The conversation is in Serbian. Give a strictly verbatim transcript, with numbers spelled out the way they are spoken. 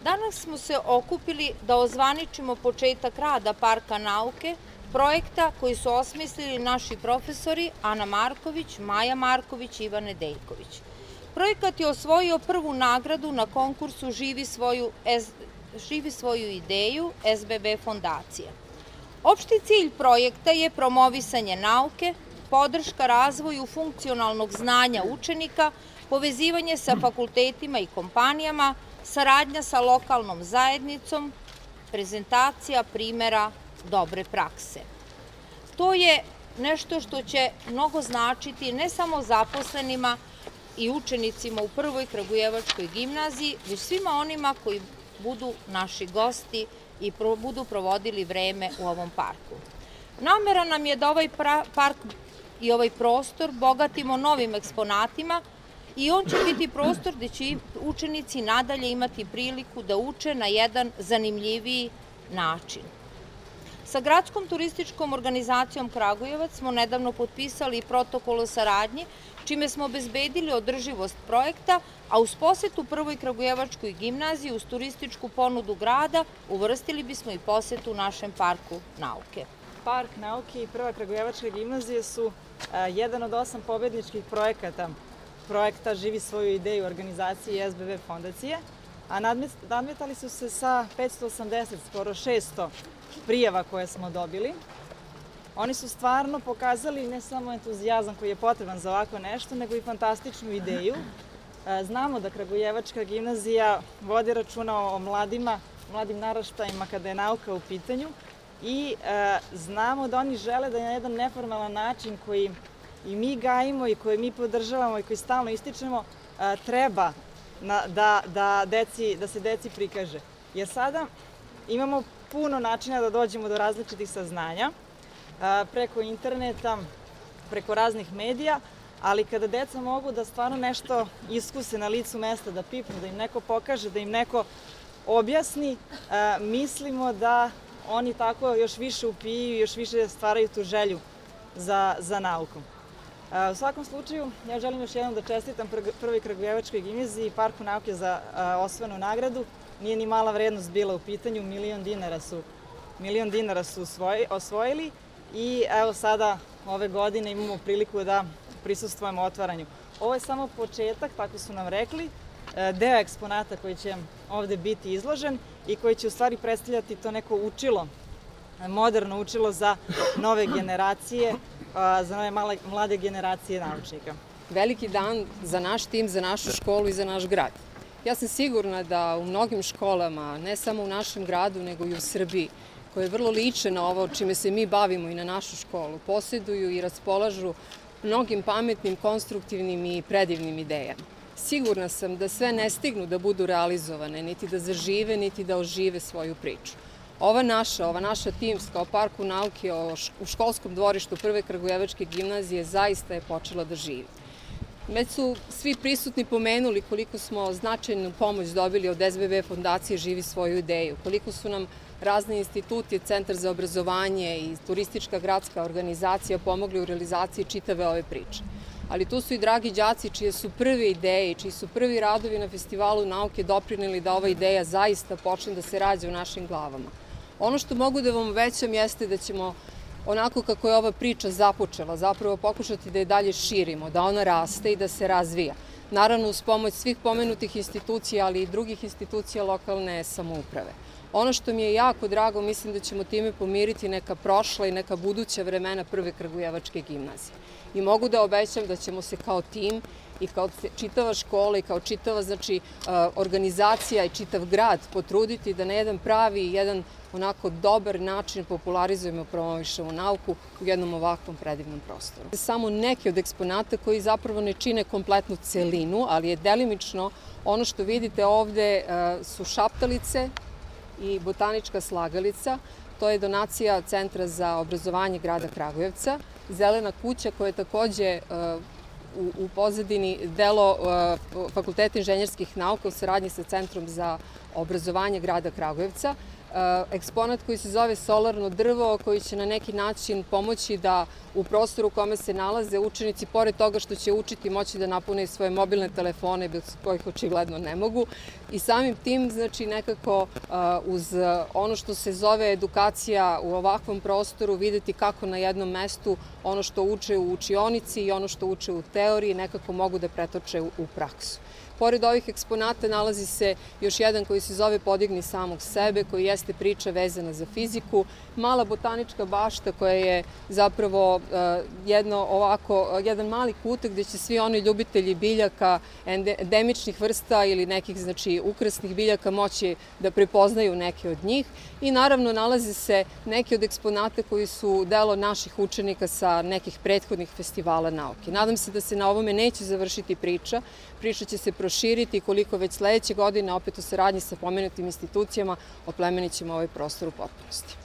Danas smo se okupili da ozvaničimo početak rada Parka nauke, projekta koji su osmislili naši profesori Ana Marković, Maja Marković i Ivan Nedeljković. Projekat je osvojio prvu nagradu na konkursu Živi svoju, Živi svoju ideju S B B fondacije. Opšti cilj projekta je promovisanje nauke, podrška razvoju funkcionalnog znanja učenika, povezivanje sa fakultetima i kompanijama, saradnja sa lokalnom zajednicom, prezentacija primera dobre prakse. To je nešto što će mnogo značiti ne samo zaposlenima i učenicima u Prvoj Kragujevačkoj gimnaziji, već svima onima koji budu naši gosti i budu provodili vreme u ovom parku. Namera nam je da ovaj park i ovaj prostor bogatimo novim eksponatima i on će biti prostor gde će učenici nadalje imati priliku da uče na jedan zanimljiviji način. Sa Gradskom turističkom organizacijom Kragujevac smo nedavno potpisali protokol o saradnji, čime smo obezbedili održivost projekta, a uz posetu Prvoj Kragujevačkoj gimnaziji uz turističku ponudu grada uvrstili bismo i posetu našem Parku nauke. Park nauke i Prva Kragujevačka gimnazija su jedan od osam pobedničkih projekata projekta Živi svoju ideju organizacije S B B fondacije, a nadmetali su se sa petsto osamdeset, skoro šesto prijava koje smo dobili. Oni su stvarno pokazali ne samo entuzijazam koji je potreban za ovako nešto, nego i fantastičnu ideju. Znamo da Kragujevačka gimnazija vodi računa o mladima, mladim naraštajima kada je nauka u pitanju i znamo da oni žele da je na jedan neformalan način koji i mi gajimo i koji mi podržavamo i koji stalno ističemo, treba da, da, deci, da se deci prikaže. Jer sada imamo puno načina da dođemo do različitih saznanja, preko interneta, preko raznih medija, ali kada deca mogu da stvarno nešto iskuse na licu mesta, da pipnu, da im neko pokaže, da im neko objasni, mislimo da oni tako još više upiju i još više stvaraju tu želju za, za naukom. U svakom slučaju, ja želim još jednom da čestitam Prvoj Kragujevačkoj gimnaziji i Parku nauke za osvojenu nagradu. Nije ni mala vrednost bila u pitanju, milion dinara su, milion dinara su osvojili i evo sada ove godine imamo priliku da prisustvujemo otvaranju. Ovo je samo početak, tako su nam rekli, deo eksponata koji će ovde biti izložen i koji će u stvari predstavljati to neko učilo, moderno učilo za nove generacije, za nove mlade generacije naučnika. Veliki dan za naš tim, za našu školu i za naš grad. Ja sam sigurna da u mnogim školama, ne samo u našem gradu, nego i u Srbiji, koje vrlo liče na ovo čime se mi bavimo i na našu školu, posjeduju i raspolažu mnogim pametnim, konstruktivnim i predivnim idejama. Sigurna sam da sve ne stignu da budu realizovane, niti da zažive, niti da ožive svoju priču. Ova naša, ova naša timska o Parku nauke u školskom dvorištu Prve Kragujevačke gimnazije zaista je počela da živi. Već su svi prisutni pomenuli koliko smo značajnu pomoć dobili od S B B fondacije Živi svoju ideju, koliko su nam razne institucije, Centar za obrazovanje i turistička gradska organizacija pomogli u realizaciji čitave ove priče. Ali tu su i dragi đaci čije su prve ideje i čiji su prvi radovi na Festivalu nauke doprineli da ova ideja zaista počne da se rađa u našim glavama. Ono što mogu da vam obećam jeste da ćemo onako kako je ova priča započela, zapravo pokušati da je dalje širimo, da ona raste i da se razvija. Naravno uz pomoć svih pomenutih institucija, ali i drugih institucija lokalne samouprave. Ono što mi je jako drago, mislim da ćemo time pomiriti neka prošla i neka buduća vremena Prve Kragujevačke gimnazije. I mogu da obećam da ćemo se kao tim i kao čitava škola i kao čitava znači, organizacija i čitav grad potruditi da na jedan pravi i jedan onako dobar način popularizujemo i promovišemo nauku u jednom ovakvom predivnom prostoru. Samo neki od eksponata koji zapravo ne čine kompletnu celinu, ali je delimično ono što vidite ovde su šaptalice i botanička slagalica. To je donacija Centra za obrazovanje grada Kragujevca. Zelena kuća koja je takođe u pozadini delo Fakulteta inženjerskih nauka u saradnji sa Centrom za obrazovanje grada Kragujevca. eksponat koji se zove solarno drvo, koji će na neki način pomoći da u prostoru u kome se nalaze učenici, pored toga što će učiti, moći da napune svoje mobilne telefone, bez kojih očigledno ne mogu. I samim tim, znači, nekako uz ono što se zove edukacija u ovakvom prostoru, videti kako na jednom mestu ono što uče u učionici i ono što uče u teoriji nekako mogu da pretoče u praksu. Pored ovih eksponata nalazi se još jedan koji se zove Podigni samog sebe, koji jeste priča vezana za fiziku, mala botanička bašta koja je zapravo jedno ovako, jedan mali kutak gde će svi oni ljubitelji biljaka, endemičnih vrsta ili nekih, znači, ukrasnih biljaka moći da prepoznaju neke od njih. I naravno nalaze se neki od eksponata koji su delo naših učenika sa nekih prethodnih festivala nauke. Nadam se da se na ovome neće završiti priča. Priča će se proširiti koliko već sledeće godine, opet u saradnji sa pomenutim institucijama, oplemenićemo ovaj prostor u potpunosti.